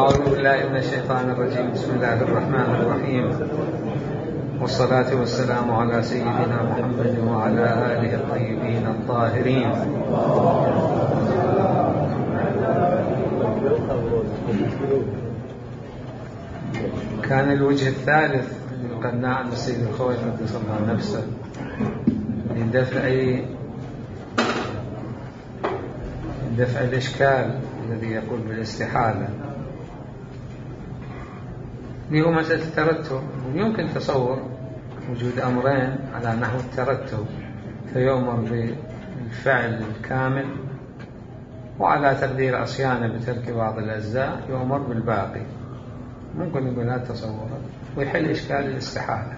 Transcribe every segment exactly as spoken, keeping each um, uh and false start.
أعوذ بالله من الشيطان الرجيم. بسم الله الرحمن الرحيم، والصلاة والسلام على سيدنا محمد وعلى آله الطيبين الطاهرين. كان الوجه الثالث من قناع السيد الخوي قدس الله نفسه لدفع دفع الإشكال الذي يقول بالاستحالة، اللي هو مسألة الترتب. يمكن تصور وجود أمرين على نحو الترتب، فيؤمر بالفعل الكامل، وعلى تقدير عصيانه بترك بعض الأجزاء يؤمر بالباقي. ممكن يقول هذا تصور ويحل إشكال الاستحالة.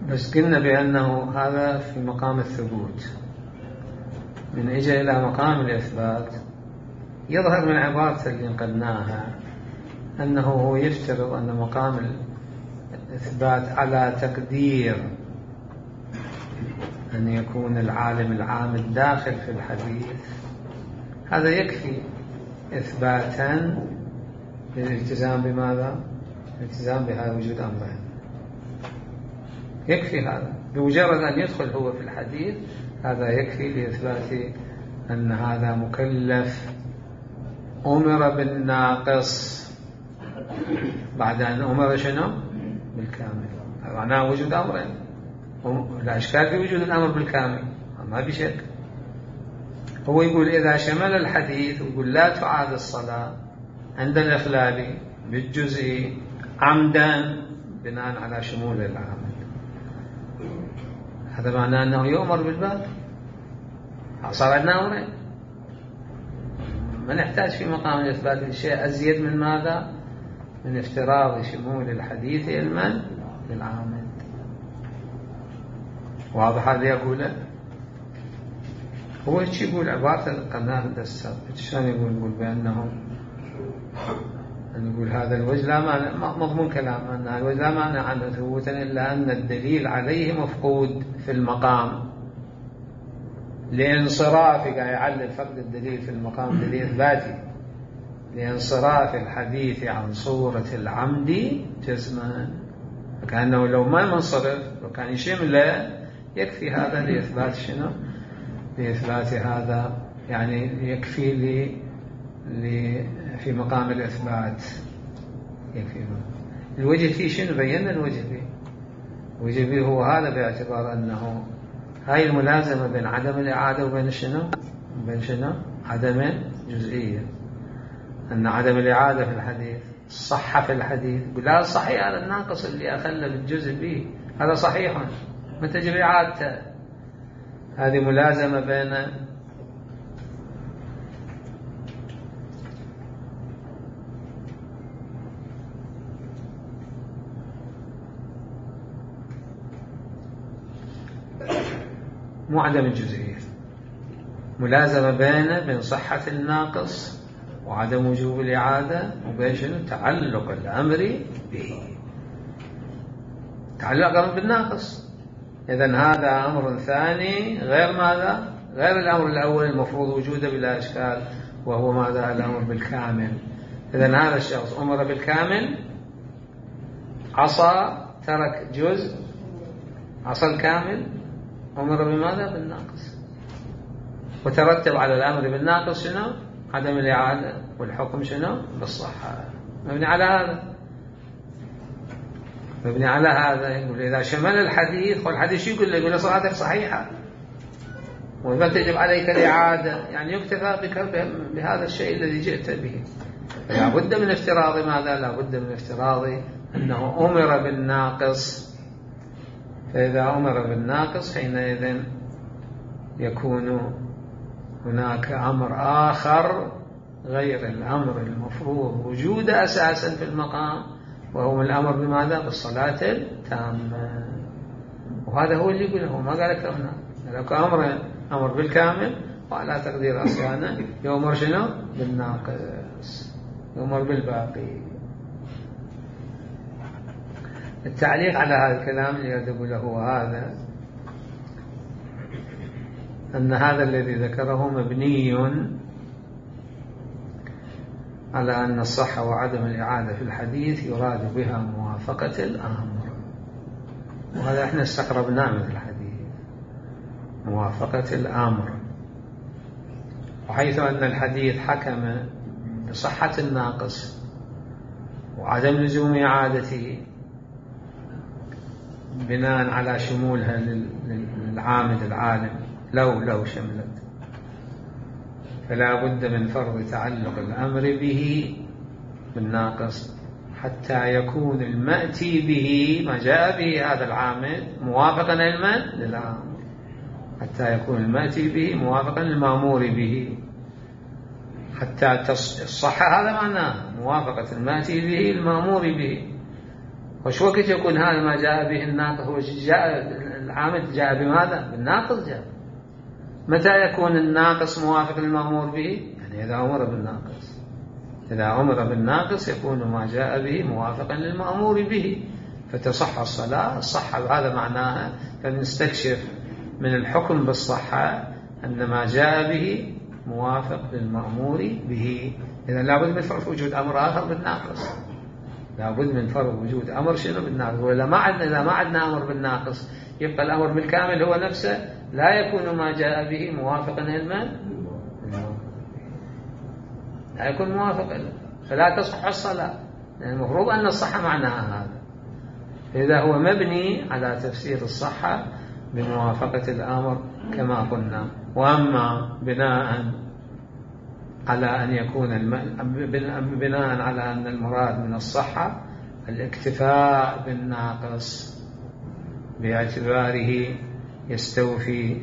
بس قلنا بأنه هذا في مقام الثبوت. من إجا إلى مقام الإثبات يظهر من عبارة اللي نقلناها أنه هو يفترض أن مقام الإثبات على تقدير أن يكون العالم العام الداخل في الحديث، هذا يكفي إثباتا للالتزام بماذا؟ الالتزام بهذا وجود أمرين. يكفي هذا بمجرد أن يدخل هو في الحديث، هذا يكفي لإثبات أن هذا مكلف أمر بالناقص بعد أن أمر شنو؟ بالكامل. معناه وجود أمرين، لا إشكال في وجود الأمر بالكامل، ما بشك. هو يقول إذا شمل الحديث ويقول لا تعاد الصلاة عند الإخلال بالجزء عمدا بناء على شمول العامل، هذا معناه أنه يؤمر بالباب. صار عندنا أمرين، ما نحتاج في مقام الإثبات الشيء أزيد من ماذا؟ من افتراض شمول الحديث علما للعامل. واضح هذا يقوله؟ هو ايش يقول عبارة القناة الدسات؟ شلون يقول؟ يقول بأنه أن يقول هذا الوجه لا معنى، مضمون كلام أن الوجه لا معنى عنه ثبوتا إلا أن الدليل عليه مفقود في المقام لانصراف، قاعد يعلل فقد الدليل في المقام دليل إثباتي لانصراف الحديث عن صورة العمد جزما، كأنه لو ما منصرف وكان يشمله يكفي هذا لإثبات شنو؟ لإثبات هذا، يعني يكفي لي لي في مقام الإثبات يكفي. الوجه فيه شنو؟ بينا الوجه فيه. الوجه فيه هو هذا، باعتبار أنه هاي الملازمة بين عدم الإعادة وبين شنو؟ بين شنو؟ عدم جزئية. أن عدم الإعادة في الحديث صح في الحديث، لا صحيح هذا الناقص اللي أخلى بالجزء به هذا صحيح، ما تجب إعادته. هذه ملازمة بين مو عدم الجزئية، ملازمة بين بين صحة الناقص وعدم وجوب الإعادة، وبين شنو؟ تعلق الأمر به، تعلق الأمر بالناقص. إذن هذا أمر ثاني غير ماذا؟ غير الأمر الأول المفروض وجوده بلا إشكال، وهو ماذا؟ الأمر بالكامل. إذن هذا الشخص أمر بالكامل، عصى ترك جزء، عصى الكامل، أمر بماذا؟ بالناقص. وترتب على الأمر بالناقص شنو؟ عدم الإعادة، والحكم شنو؟ بالصحة. مبني على هذا، مبني على هذا. يقول إذا شمل الحديث، والحديث شو يقول له؟ يقول له صلاتك صحيحة وما تجب عليك الإعادة، يعني يكتفى بك بهذا الشيء الذي جئت به. لا بد من افتراض ماذا؟ لا بد من افتراض أنه أمر بالناقص. فإذا أمر بالناقص حينئذ يكون هناك أمر آخر غير الأمر المفروض وجوده أساسا في المقام، وهو الأمر بماذا؟ بالصلاة التامة. وهذا هو اللي يقوله، ما قال لك هنا لك أمر أمر بالكامل وعلى تقدير عصيانة يؤمر شنو؟ بالناقص، يؤمر بالباقي. التعليق على هذا الكلام اللي أقوله هو هذا، أن هذا الذي ذكره مبني على أن الصحة وعدم الإعادة في الحديث يراد بها موافقة الأمر، وهذا احنا استقربناه من الحديث، موافقة الأمر. وحيث أن الحديث حكم بصحة الناقص وعدم لزوم إعادته بناء على شمولها للعامد العالم لو لو شملت، فلا بد من فرض تعلق الأمر به بالناقص حتى يكون المأتي به ما جاء به هذا العامد موافقا لمن؟ للأمر، حتى يكون المأتي به موافقا للمأمور به، حتى الصحة هذا معناه موافقة المأتي به المأمور به. وش وقت يكون هذا ما جاء به الناقص؟ هو جاء العامد جاء بماذا؟ بالناقص جاء. متى يكون الناقص موافق للمأمور به؟ يعني إذا أمر بالناقص، إذا أمر بالناقص يكون ما جاء به موافقا للمأمور به فتصح الصلاة. الصحة هذا معناها، فنستكشف من الحكم بالصحة أن ما جاء به موافق للمأمور به. إذا لابد من فرض وجود أمر آخر بالناقص، لابد من فرض وجود أمر شنو؟ بالناقص. ولا ما عندنا، إذا ما عندنا أمر بالناقص يبقى الأمر بالكامل هو نفسه لا يكون ما جاء به موافقا لمن؟ لا يكون موافقا، فلا تصح الصلاة، لأن المفروض أن الصحة معناها هذا. إذا هو مبني على تفسير الصحة بموافقة الأمر كما قلنا. وأما بناء على أن يكون الم... بناء على أن المراد من الصحة الاكتفاء بالناقص باعتباره يستوفي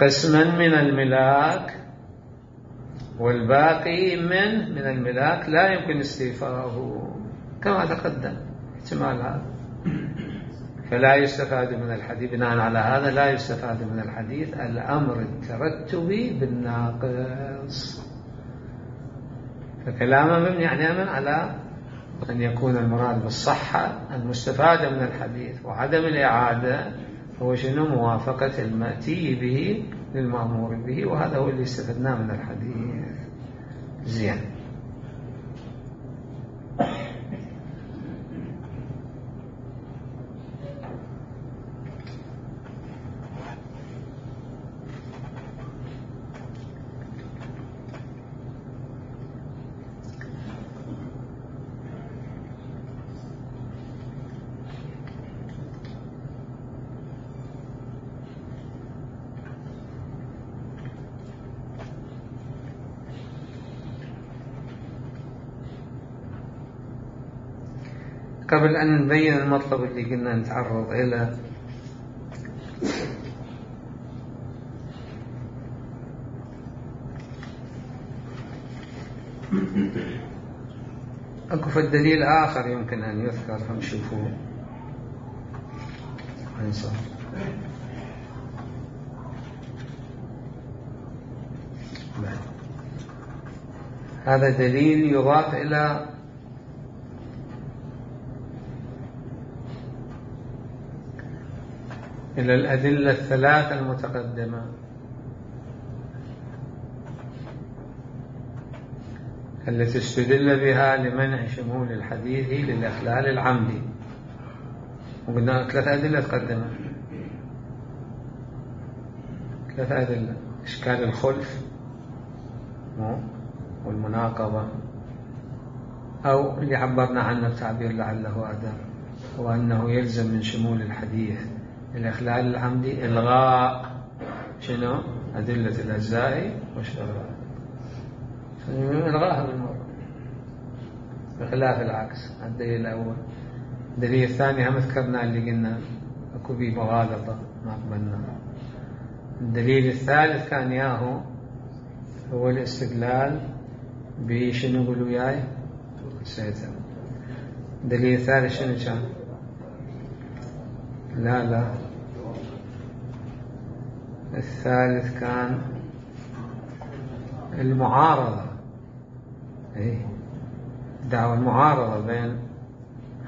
قسما من الملاك والباقي من من الملاك لا يمكن استيفاؤه كما تقدم احتمال هذا، فلا يستفاد من الحديث. بناء على هذا لا يستفاد من الحديث الأمر الترتبي بالناقص، فكلامه مبني يعني على أن يكون المراد بالصحة المستفادة من الحديث وعدم الإعادة هو شنو؟ موافقة المأتي به للمأمور به، وهذا هو اللي استفدناه من الحديث. زين. قبل أن نبين المطلب اللي قلنا نتعرض إليه، أكو في الدليل آخر يمكن أن يذكر، هم شوفوا انصر. هذا دليل يضاف إلى إلى الأدلة الثلاثة المتقدمة، التي استدل بها لمنع شمول الحديث للإخلال العمدي. وقلنا ثلاثة أدلة تقدمت، ثلاثة أدلة: إشكال الخلف والمناقضة، أو اللي عبرنا عنه بتعبير لعله أداء، وأنه يلزم من شمول الحديث الإخلال العمدي إلغاء شنو؟ أدلة الأجزاء والشرائع، إلغاها بالمرة بخلاف العكس. الدليل الأول. الدليل الثاني هم ذكرنا اللي قلنا أكو بيه مغالطة ما قبلنا. الدليل الثالث كان ياهو هو الاستدلال بشنو؟ قولوا وياي. الدليل الثالث شنو كان؟ لا لا الثالث كان المعارضة، ايه دعوى المعارضة بين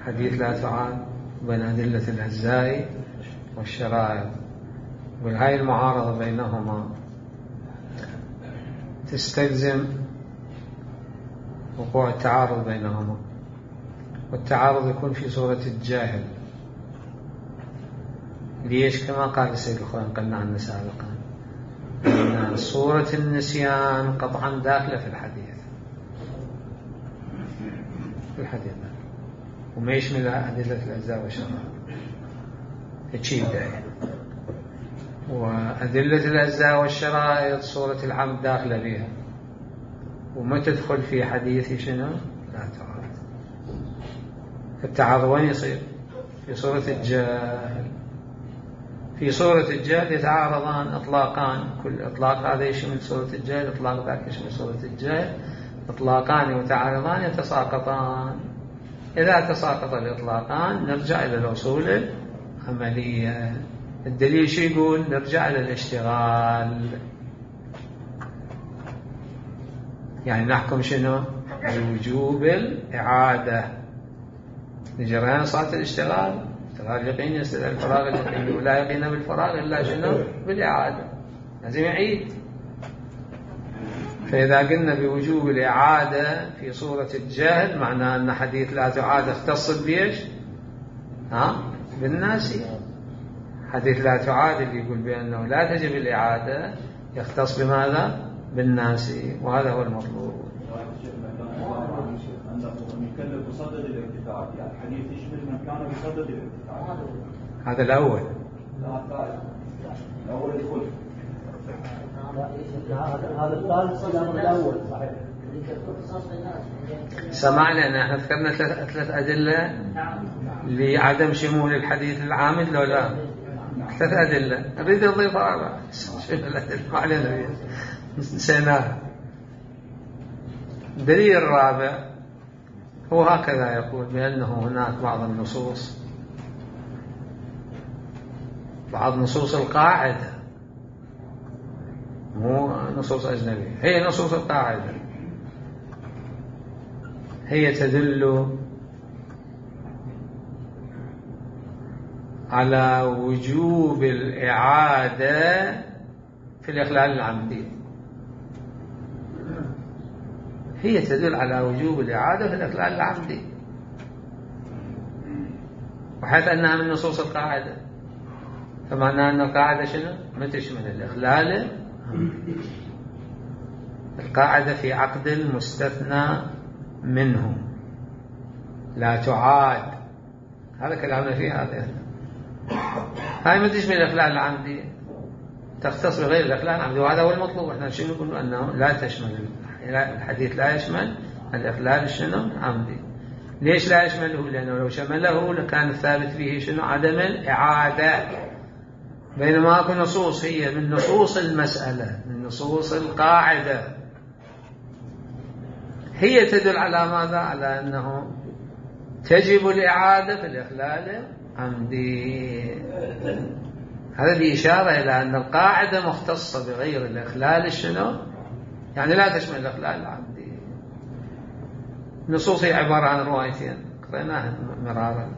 حديث لا تعاد وبين أدلة الأجزاء والشرائط، وهاي المعارضة بينهما تستلزم وقوع التعارض بينهما، والتعارض يكون في صورة الجاهل. ليش؟ كما قال السيد الخوئي قلنا عنه سابقا أن صورة النسيان قطعا داخلة في الحديث في الحديث وما يشملها أدلة الأجزاء والشرائط، تشيل داية. وأدلة الأجزاء والشرائط صورة العمد داخلة بها وما تدخل في حديث شنو لا تعارض. التعارض وين يصير؟ في صورة الجاهل. في صورة الجاهل يتعارضان إطلاقان، كل إطلاق هذا يشمل صورة الجاهل، إطلاق ذاك يشمل صورة الجاهل، إطلاقان متعارضان يتساقطان. إذا تساقط الإطلاقان نرجع إلى الأصول العملية. الدليل شو يقول؟ نرجع إلى الاشتغال، يعني نحكم شنو؟ بوجوب الإعادة لجريان صلاة الاشتغال. اشتغال يقين يستدعي الفراغ اليقيني، ولا يقين بالفراغ إلا شنو؟ بالإعادة، لازم يعيد. فإذا قلنا بوجوب الإعادة في صورة الجهل معناه أن حديث لا تعاد اختص بيش؟ ها؟ بالناسي. حديث لا تعاد اللي يقول بأنه لا تجب الإعادة يختص بماذا؟ بالناسي، وهذا هو المطلوب. يكلف بصدد الارتفاع، يعني الحديث يشمل من كان بصدد الارتفاع. هذا الأول. لا الثالث. الأول يدخل. هذا الثالث الأول صحيح. سمعنا أن احنا ذكرنا ثلاث ثلاث أدلة لعدم شمول الحديث العامد لو لا؟ ثلاث أدلة. نريد نضيف أربعة. شو الأدلة؟ ما علينا نسيناها. الدليل الرابع هو هكذا يقول بأنه هناك بعض النصوص، بعض نصوص القاعدة، مو نصوص أجنبية، هي نصوص القاعدة، هي تدل على وجوب الإعادة في الإخلال العمدي. هي تدل على وجوب الإعادة في الإخلال العمدي، وحيث أنها من نصوص القاعدة فمعنى أن القاعدة شنو؟ ما تشمل الإخلال. القاعدة في عقد مستثنى منه لا تعاد، هذا كلامنا فيه. هذا هاي ما تشمل الإخلال العمدي، تختص بغير الإخلال العمدي، وهذا هو المطلوب. احنا شنو نقول؟ أنه لا تشمل الحديث، لا يشمل الإخلال شنو عمدي. ليش لا يشمله؟ لأنه لو شمله لكان الثابت فيه شنو؟ عدم الإعادة. بينما اكو نصوص هي من نصوص المسألة، من نصوص القاعدة، هي تدل على ماذا؟ على أنه تجب الإعادة في الإخلال عمدي. هذا بإشارة إلى أن القاعدة مختصة بغير الإخلال شنو؟ يعني لا تشمل الإخلال العمدي. نصوص هي عبارة عن روايتين قرأناها مرارا،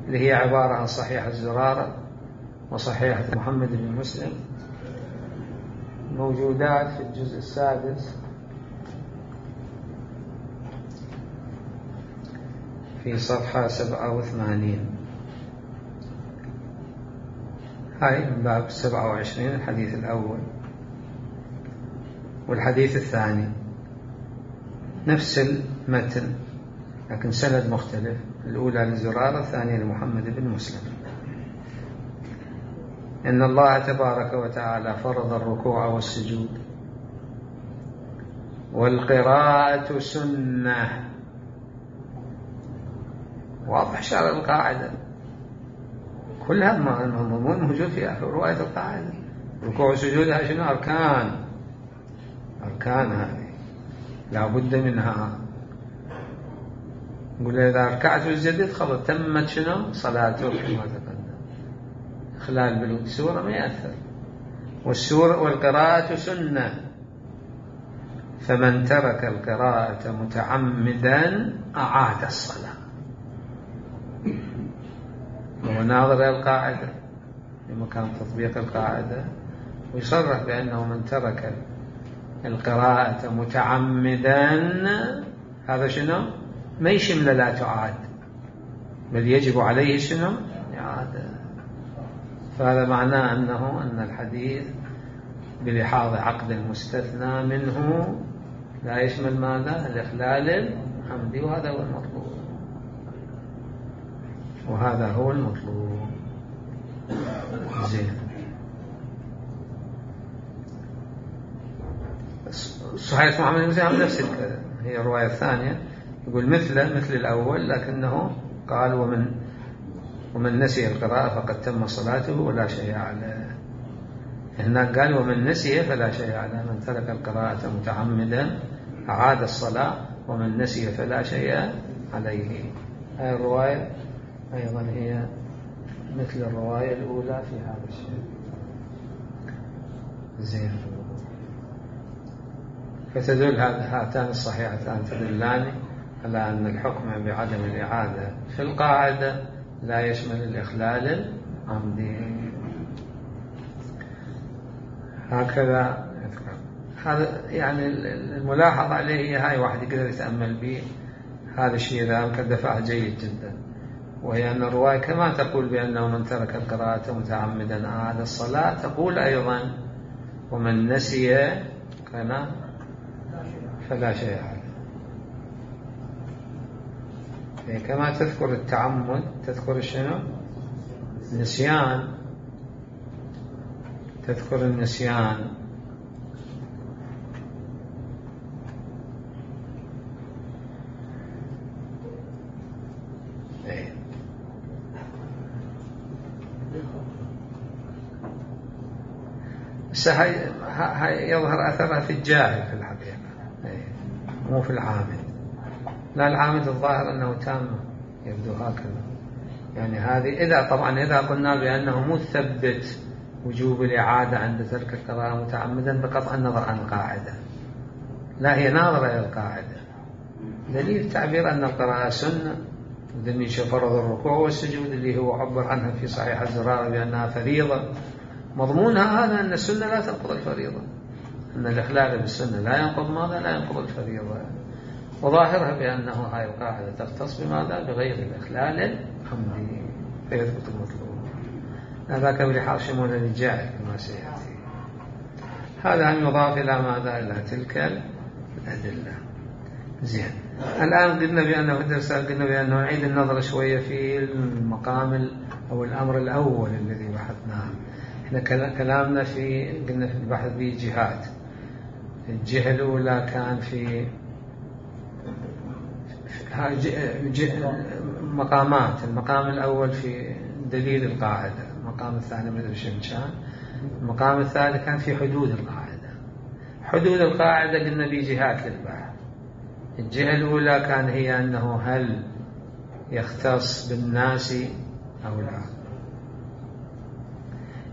اللي هي عبارة عن صحيح الزرارة وصحيحة محمد بن مسلم، موجودات في الجزء السادس في صفحة سبعة وثمانين. هاي من باب سبعة وعشرين، الحديث الأول والحديث الثاني نفس المتن لكن سند مختلف، الأولى للزرارة، الثانية لمحمد بن مسلم. إن الله تبارك وتعالى فرض الركوع والسجود والقراءة سنة. واضح شرع القاعدة كلها مضمون موجود في آخر رواية القاعدة. ركوع وسجودها شنو؟ أركان، أركان هذه لا بد منها. نقول إذا ركعت وسجدت خلاص تمت شنو؟ صلاتك كما تقدم. إخلال بالسورة ما يأثر. والسور والقراءة سنة، فمن ترك القراءة متعمدا أعاد الصلاة. وهو ناظر إلى القاعدة في مكان تطبيق القاعدة، ويصرح بأنه من ترك القراءة متعمدا هذا شنو؟ ما يشمل لا تعاد، بل يجب عليه شنو؟ إعادة. فهذا معناه أنه أن الحديث بلحاظ عقد المستثنى منه لا يشمل ماذا؟ الإخلال العمدي، وهذا هو المطلوب، وهذا هو المطلوب. زين. صحيح محمد بن مسلم نفس الكلام، هي الرواية الثانية يقول مثل مثل الأول، لكنه قال ومن ومن نسي القراءة فقد تم صلاته ولا شيء عليه. هناك قال ومن نسي فلا شيء عليه، من ترك القراءة متعمدا أعاد الصلاة، ومن نسي فلا شيء عليه. هذه الرواية أيضا هي مثل الرواية الأولى في هذا الشيء. زين. فتدل هاتان الصحيحتان تدلان على أن الحكم بعدم الإعادة في القاعدة لا يشمل الإخلال العمدي. هكذا هذا يعني الملاحظ عليه، هاي واحد يقدر يتأمل به هذا الشيء إذا أمكن دفعه جيد جدا، وهي أن الرواية كما تقول بأنه من ترك القراءة متعمدا أعاد الصلاة، تقول أيضا ومن نسي كان فلا شيء عليه. كما تذكر التعمد تذكر شنو؟ النسيان، تذكر النسيان. ايه. بس هاي يظهر أثرها في الجاهل في الحقيقة، ايه، مو في العامل. لا، العامل الظاهر أنه تام، يبدو هكذا. يعني هذه إذا طبعا إذا قلنا بأنه مثبت وجوب الإعادة عند ترك القراءة متعمدا بقطع النظر عن القاعدة، لا، هي ناظرة إلى القاعدة. دليل تعبير أن القراءة سنة، ودليل فرض الركوع والسجود اللي هو عبر عنها في صحيح الزرارة بأنها فريضة، مضمونها هذا أن السنة لا تنقض الفريضة، أن الإخلال بالسنة لا ينقض ماذا؟ لا ينقض الفريضة. وظاهرها بأنه هاي القاعدة تختص بماذا؟ بغير الإخلال العمدي، فيثبت المطلوب. هذاك بلحاظ شمول الجاهل كما سيأتي. هذا أن يضاف إلى ماذا؟ إلى تلك الأدلة. زين. الآن قلنا بأنه في الدرس قلنا بأنه نعيد النظر شوية في المقام أو الأمر الأول الذي بحثناه. إحنا كلامنا في قلنا في البحث به جهات. الجهة الأولى كان في مقامات. المقام الأول في دليل القاعدة، المقام الثاني مثل شمشان، المقام الثالث كان في حدود القاعدة. حدود القاعدة قلنا به جهات للبحث. الجهة الأولى كان هي أنه هل يختص بالناس أو لا.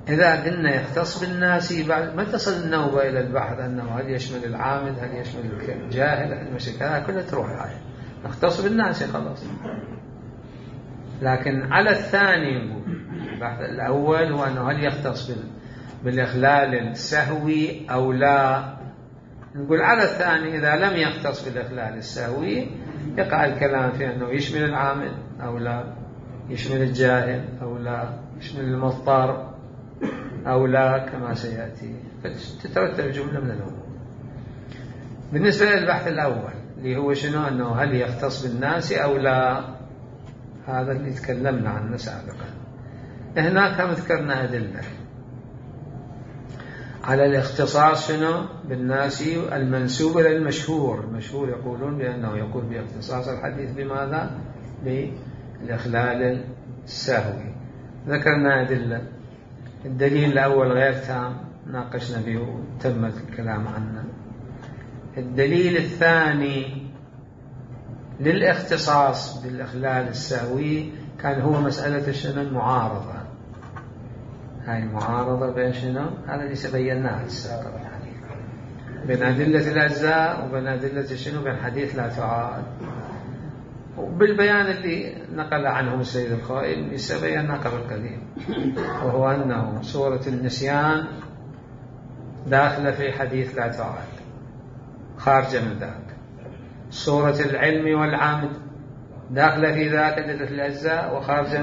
إذا قلنا يختص بالناس بعد ما تصل النوبة إلى البحث أنه هل يشمل العامد، هل يشمل الجاهل، هل يشمل كذا، كلها تروح الآية نختص بالناس خلاص. لكن على الثاني نقول البحث الأول هو أنه هل يختص بالإخلال السهوي أو لا. نقول على الثاني إذا لم يختص بالإخلال السهوي يقع الكلام في أنه يشمل العامل أو لا، يشمل الجاهل أو لا، يشمل المضطر أو لا كما سيأتي، فتترتب جملة من الأمور. بالنسبة للبحث الأول اللي هو شنو؟ أنه هل يختص بالناس أو لا، هذا اللي تكلمنا عنه سابقا. هناك هم ذكرنا أدلة على الاختصاص شنو بالناس المنسوب إلى المشهور. المشهور يقولون بأنه يقول باختصاص الحديث بماذا؟ بالإخلال السهوي. ذكرنا أدلة. الدليل الأول غير تام، ناقشنا به وتم الكلام عنه. الدليل الثاني للاختصاص بالإخلال السهوي كان هو مسألة شنو؟ المعارضة. هاي المعارضة بين شنو؟ هذا اللي سبيناه السابق يعني بين أدلة الأجزاء وبين أدلة شنو؟ بين حديث لا تعاد. وبالبيان اللي نقل عنه السيد الخائن سبينا قبل قليل، وهو أنه صورة النسيان داخلة في حديث لا تعاد خارجة من ذاك، صورة العلم والعمد داخلة في ذاك أدلة الأجزاء وخارجة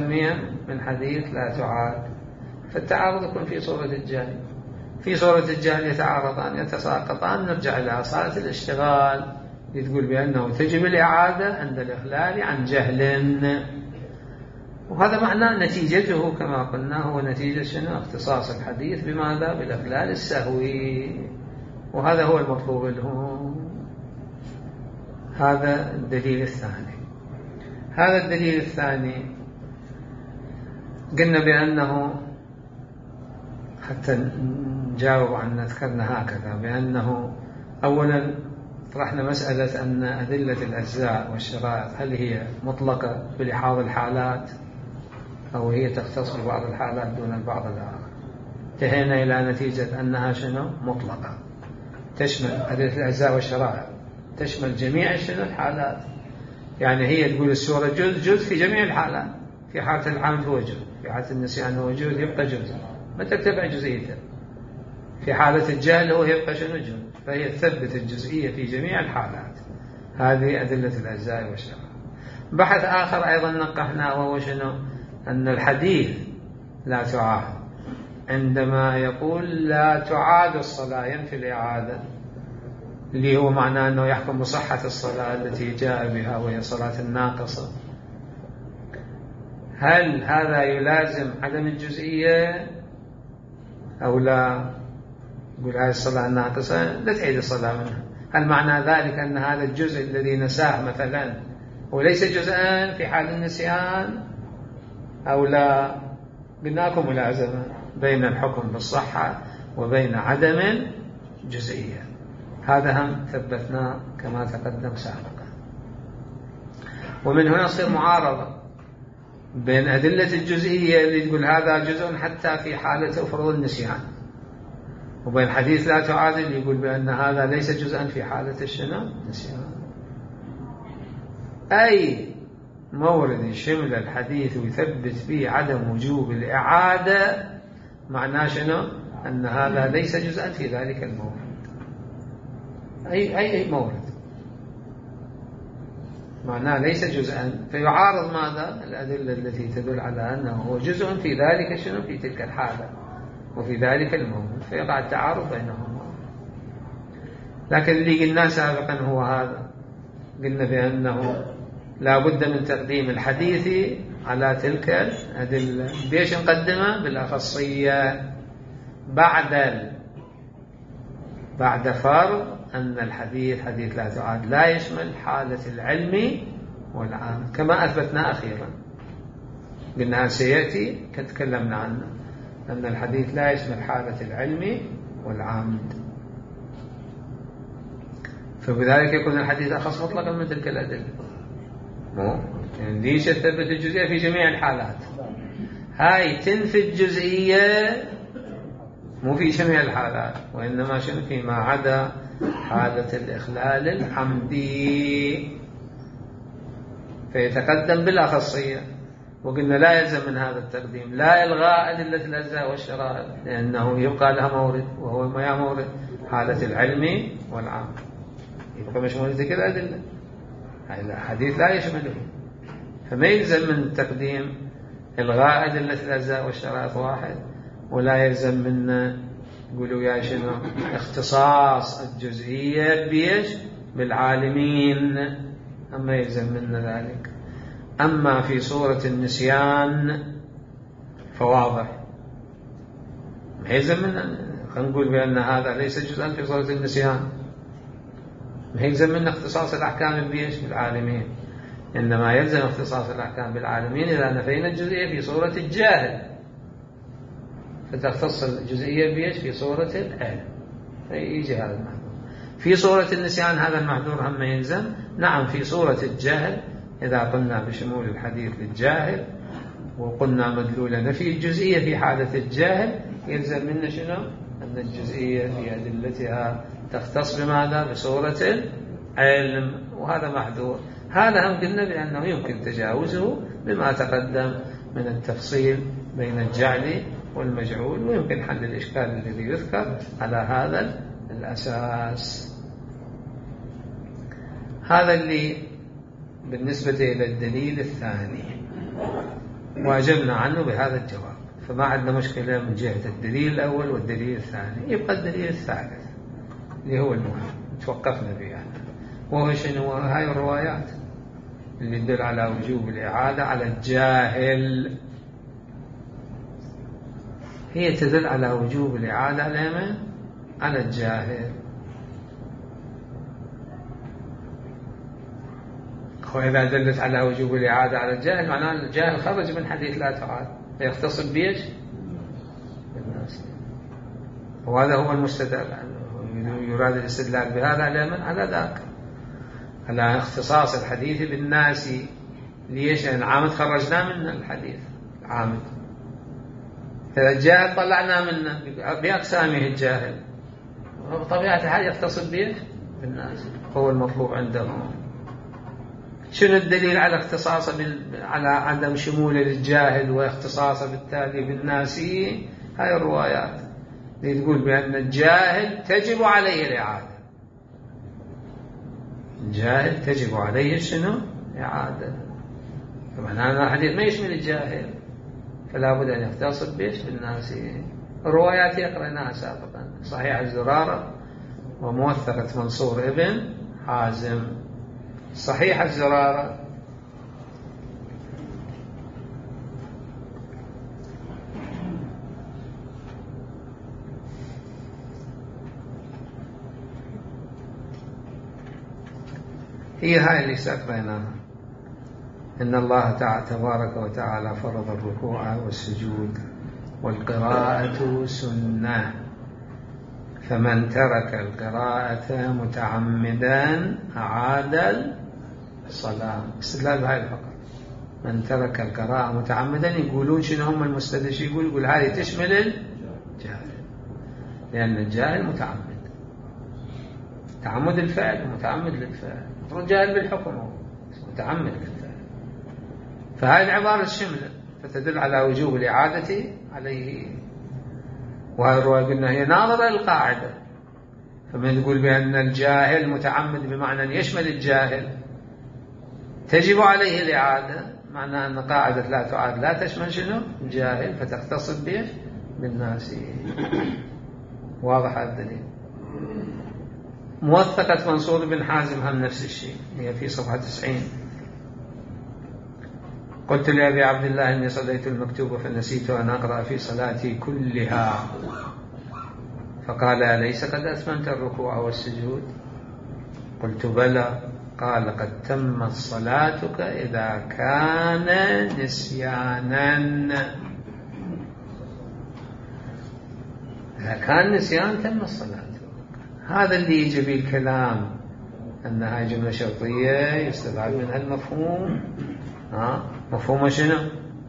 من حديث لا تعاد. فالتعارض يكون في صورة الجهل، في صورة الجهل يتعارضان يتساقطان. نرجع إلى أصالة الاشتغال تقول بأنه تجب الإعادة عند الإخلال عن جهل، وهذا معناه نتيجته كما قلنا هو نتيجة شنو؟ اختصاص الحديث بماذا؟ بالإخلال السهوي، وهذا هو المطلوب له. هذا الدليل الثاني. هذا الدليل الثاني قلنا بأنه حتى نجاوب عن ذكرنا هكذا بأنه أولا طرحنا مسألة أن أدلة الأجزاء والشرائط هل هي مطلقة بلحاظ الحالات أو هي تختص ببعض الحالات دون البعض الآخر. انتهينا إلى نتيجة أنها شنو؟ مطلقة، تشمل أدلة الأجزاء والشرائط تشمل جميع شنو؟ الحالات. يعني هي تقول السورة جزء جزء في جميع الحالات، في حالة العمد هو جزء، في حالة النسيان هو جزء يبقى جزء ما تتبع جزئيته، في حالة الجهل هو يبقى شنو؟ جزء. فهي تثبت الجزئية في جميع الحالات. هذه أدلة الأجزاء والشرائط. بحث آخر أيضا نقحناه وهو شنو؟ أن الحديث لا تعاد عندما يقول لا تعاد الصلاة ينفي الإعادة، اللي هو معناه أنه يحكم بصحة الصلاة التي جاء بها وهي صلاة الناقصة. هل هذا يلازم عدم الجزئية أو لا؟ يقول هذه الصلاة الناقصة لا تعيد الصلاة منها. هل معنى ذلك أن هذا الجزء الذي نساه مثلا وليس جزءا في حال النسيان أو لا؟ قلناكم ملازمة بين الحكم بالصحة وبين عدم الجزئية. هذا هم ثبتناه كما تقدم سابقا. ومن هنا تصير معارضة بين أدلة الجزئية اللي تقول هذا جزء حتى في حالة فرض النسيان، وبين حديث لا تعاد اللي يقول بأن هذا ليس جزءا في حالة الشنو؟ النسيان. أي مورد يشمل الحديث ويثبت به عدم وجوب الإعادة معناه شنو؟ أن هذا ليس جزءا في ذلك المورد. أي أي أي مورد معناه ليس جزءا، فيعارض ماذا؟ الأدلة التي تدل على أنه هو جزء في ذلك شنو؟ في تلك الحالة وفي ذلك المورد، فيقع التعارض بينهما. لكن اللي قلنا سابقا هو هذا، قلنا بأنه لا بد من تقديم الحديث على تلك الأدلة. بيش نقدمه؟ بالأخصية بعد ال... بعد فرض أن الحديث حديث لا تعاد لا يشمل حالة العلم والعمد كما أثبتنا أخيرا. قلنا سيأتي كتكلمنا عنه أن الحديث لا يشمل حالة العلم والعمد، فبذلك يكون الحديث أخص مطلقا من تلك الأدلة. يعني ليش تثبت الجزئية في جميع الحالات؟ هاي تنفي الجزئية مو في جميع الحالات، وإنما شنو؟ فيما عدا حالة الإخلال العمدي، فيتقدم بالأخصية. وقلنا لا يلزم من هذا التقديم لا إلغاء أدلة الأجزاء والشرائط، لأنه يبقى لها مورد وهو ما يا مورد حالة العلم والعمد، يبقى مش مورد ذكر الأدلة. الحديث لا يشمله، فما يلزم من تقديم إلغاء أدلة الأجزاء والشرائط واحد، ولا يلزم من يقولوا يا شنو اختصاص الجزئية بيش بالعالمين، أما يلزم من ذلك. أما في صورة النسيان فواضح ما يلزم من خلينا نقول بأن هذا ليس جزءا في صورة النسيان، ما يلزم من اختصاص الأحكام بيش بالعالمين، إنما يلزم اختصاص الأحكام بالعالمين إذا نفينا الجزئية في صورة الجاهل، فتختص الجزئية بيش في صورة العلم، فيجي هذا المحذور. في صورة النسيان هذا المحذور هم يلزم. نعم في صورة الجهل إذا قلنا بشمول الحديث للجاهل وقلنا مدلول نفي الجزئية في حالة الجاهل يلزم منا شنو؟ أن الجزئية في أدلتها تختص بماذا؟ بصورة العلم، وهذا محذور. هذا هم قلنا بأنه يمكن تجاوزه بما تقدم من التفصيل بين الجعل والمجعول، ويمكن حل الإشكال الذي يذكر على هذا الأساس. هذا اللي بالنسبة إلى الدليل الثاني، وأجبنا عنه بهذا الجواب، فما عندنا مشكلة من جهة الدليل الأول والدليل الثاني. يبقى الدليل الثالث اللي هو المهم توقفنا به، وهو شنو؟ هاي الروايات اللي تدل على وجوب الإعادة على الجاهل. هي تدل على وجوب الإعادة على من؟ على الجاهل. وإذا دلت على وجوب الإعادة على الجاهل معناه الجاهل خرج من حديث لا تعاد، فيختص بيش بالناس. وهذا هو المستدل، يراد الاستدلال بهذا على من؟ على ذاك، على اختصاص الحديث بالناس. ليش؟ لأن العامد خرجنا من الحديث العامد، إذا الجاهل طلعنا منه بأقسامه الجاهل، بطبيعة الحال يختص بيش بالناس، هو المطلوب عندهم. شنو الدليل على اختصاصه بال... على عدم شموله للجاهل واختصاصه بالتالي بالناسي؟ هاي الروايات اللي تقول بأن الجاهل تجب عليه الإعادة. الجاهل تجب عليه شنو؟ إعادة. فمعنى أن الحديث ما يشمل الجاهل، فلا بد أن يختص بيش بالناسي. الروايات يقرأناها سابقا، صحيح الزرارة وموثقة منصور ابن حازم. صحيح الزرارة هي هاي اللي سأقرأناها: إن الله تعالى تبارك وتعالى فرض الركوع والسجود والقراءة سنة، فمن ترك القراءة متعمدا أعاد الصلاة. استدلال بهاي فقط. من ترك القراءة متعمدا، يقولون شنو هم المستدلش؟ يقول يقول هذه تشمل الجاهل، لأن الجاهل متعمد، تعمد الفعل ومتعمد للفعل، جاهل بالحكم هو متعمد للفعل. فهذه العبارة الشملة فتدل على وجوب الإعادة عليه. وهذه الرواية قلنا هي ناظرة للقاعدة، فمن يقول بأن الجاهل متعمد بمعنى أن يشمل الجاهل تجب عليه الإعادة، معنى أن قاعدة لا تعاد لا تشمل شنو؟ الجاهل، فتختص به بالناس. واضح هذا الدليل. موثقة منصور بن حازم هم نفس الشيء، هي في صفحة تسعين. قلت لأبي عبد الله إني صليت المكتوب فنسيت أن أقرأ في صلاتي كلها، فقال أليس قد أتممت الركوع والسجود؟ قلت بلى. قال قد تمت صلاتك إذا كان نسيانا. إذا كان نسيان تم الصلاة. هذا اللي يجي به الكلام أنها جملة شرطية يستبعد منها المفهوم. ها مفهوم شنو؟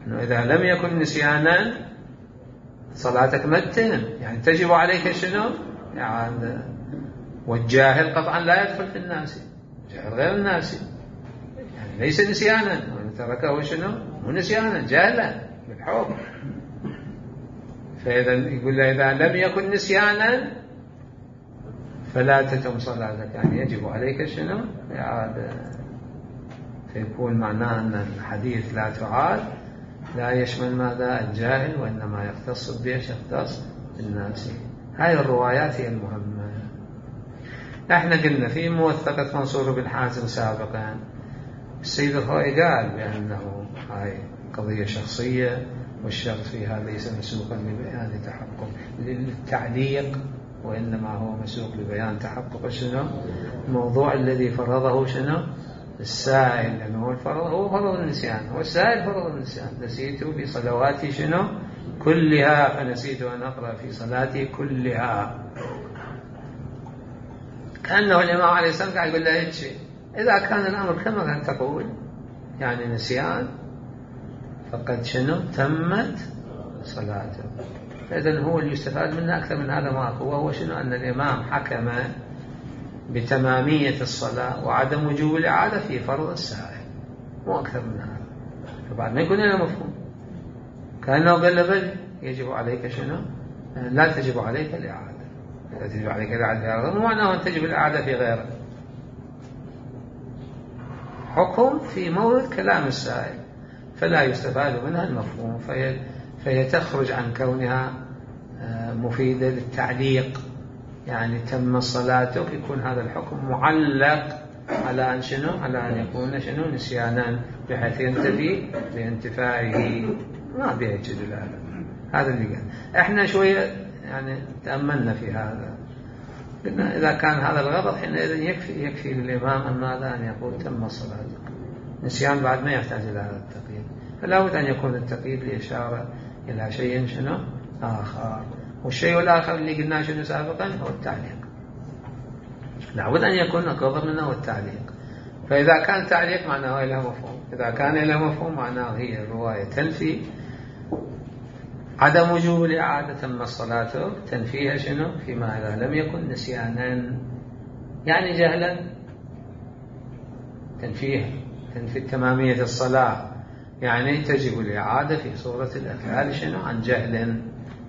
أنه إذا لم يكن نسيانا صلاتك ما تتم، يعني تجب عليك شنو؟ يعني والجاهل قطعا لا يدخل في الناس، جاهل غير الناس، يعني ليس نسيانا، وإن تركه شنو؟ مو نسيانا، جاهلا بالحكم. فإذا يقول له إذا لم يكن نسيانا فلا تتم صلاتك، يعني يجب عليك شنو؟ إعادة. فيكون معناه أن الحديث لا تعاد لا يشمل ماذا؟ الجاهل، وإنما يختص بيش؟ يختص بالناس. هاي الروايات هي المهمة. احنا قلنا في موثقة منصور بن حازم سابقا، السيد الخوئي قال بأنه هاي قضية شخصية، والشخص فيها ليس مسوقا لبيان تحقق للتعليق، وإنما هو مسوق لبيان تحقق شنو؟ الموضوع الذي فرضه شنو؟ السائل، لأنه هو الفرض هو فرض النسيان، هو السائل فرض النسيان. نسيت في صلواتي شنو؟ كلها، فنسيت أن أقرأ في صلاتي كلها. كأنه الإمام عليه السلام قاعد يقول له هيك: إذا كان الأمر كما كان تقول، يعني نسيان، فقد شنو تمت صلاته. فإذن هو اللي يستفاد منه أكثر من هذا ما هو وهو شنو أن الإمام حكم بتمامية الصلاة وعدم وجوب الإعادة في فرض السائل، مو أكثر من هذا. فبعد ما يكون له مفهوم كأنه قال له بل يجب عليك شنو؟ لا تجب عليك الإعادة. لا تجب عليك الإعادة في غيره، مو معناه أن تجب الإعادة في غيره. حكم في مورد كلام السائل فلا يستفاد منها المفهوم، فهي, فهي تخرج عن كونها مفيدة للتعليق، يعني تم صلاتك يكون هذا الحكم معلق على أن شنو؟ على أن يكون شنو؟ نسيانا، بحيث ينتفي بانتفائه. ما بيها يجد هذا. هذا اللي قال. احنا شوية يعني تأملنا في هذا، قلنا إذا كان هذا الغرض حينئذ يكفي يكفي للإمام أن ماذا؟ أن يقول تم صلاتك. نسيان بعد ما يحتاج إلى هذا التقييد، فلا بد أن يكون التقييد لإشارة إلى شيء شنو؟ آخر. والشيء الآخر اللي قلناه شنو سابقا هو التعليق. لا بد أن يكون أقرب منه والتعليق. فإذا كان تعليق معناه له مفهوم، إذا كان له مفهوم معناه هي الرواية تنفي عدم وجوب الإعادة تم صلاته، تنفيها شنو؟ فيما إذا لم يكن نسيانا يعني جهلا، تنفيها تنفي تمامية الصلاة يعني تجب الإعادة في صورة الأفعال شنو؟ عن جهل،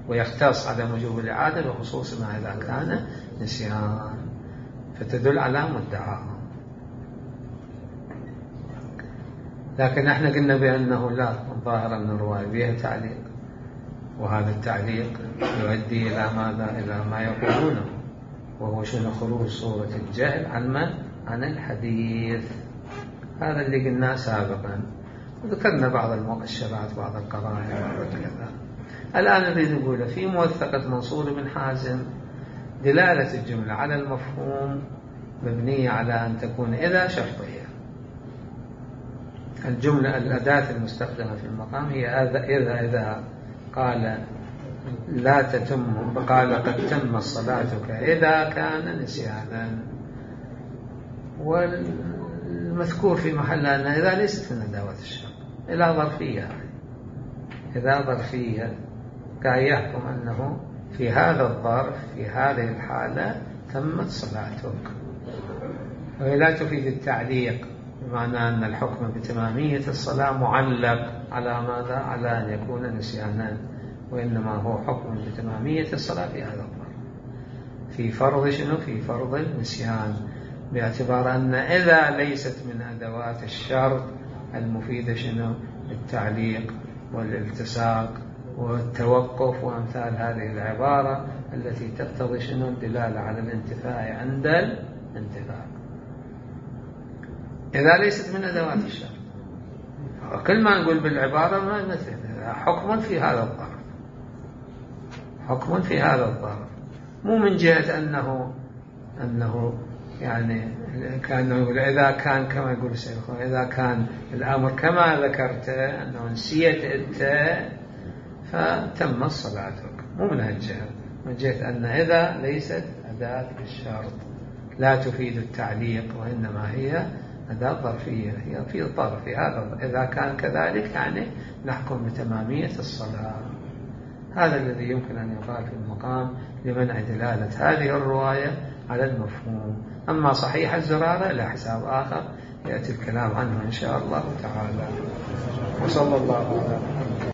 ويختص عدم وجوب الإعادة بخصوص ما إذا كان نسيان، فتدل على مدعاه. لكن احنا قلنا بأنه لا، الظاهر أن الرواية بها تعليق، وهذا التعليق يؤدي إلى ماذا؟ إلى ما يقولونه، وهو شنو؟ خروج صورة الجهل عن من؟ عن الحديث. هذا اللي قلناه سابقا، وذكرنا بعض المؤشرات، بعض القرائن، بعض كذا. الآن نريد نقول في موثقة منصور بن حازم دلالة الجملة على المفهوم مبنية على أن تكون إذا شرطية. الجملة الأداة المستخدمة في المقام هي إذا إذا, إذا قال لا تتم، قال قد تم صلاتك إذا كان نسيانا، والمذكور في محل أن إذا ليست من أدوات الشرط، إذا ظرفية، إذا ظرفية كان يحكم أنه في هذا الظرف في هذه الحالة تمت صلاتك. وهي لا تفيد التعليق، بمعنى أن الحكم بتمامية الصلاة معلق على ماذا؟ على أن يكون نسيانا، وإنما هو حكم بتمامية الصلاة في هذا الظرف، في فرض شنو؟ في فرض النسيان، باعتبار أن إذا ليست من أدوات الشرط المفيدة شنو؟ التعليق والالتصاق والتوقف وأمثال هذه العبارة التي تقتضي شنو؟ الدلالة على الانتفاء عند الانتفاء. إذا ليست من أدوات الشرط، وكل ما نقول بالعبارة ما مثل حكم في هذا الظرف، حكم في هذا الظرف، مو من جهة أنه أنه يعني كان يقول إذا كان كما يقول الشيخ، إذا كان الأمر كما ذكرت أنه نسيت أنت فتم صلاتك، مو من هالجهة، من جهة أن إذا ليست أداة الشرط لا تفيد التعليق، وإنما هي أداة ظرفية، هي في الظرف هذا. إذا كان كذلك يعني نحكم بتمامية الصلاة. هذا الذي يمكن أن يقال في المقام لمنع دلالة هذه الرواية على المفهوم. أما صحيح الزرارة لا حساب آخر يأتي الكلام عنه إن شاء الله تعالى. وصلى الله عليه وسلم.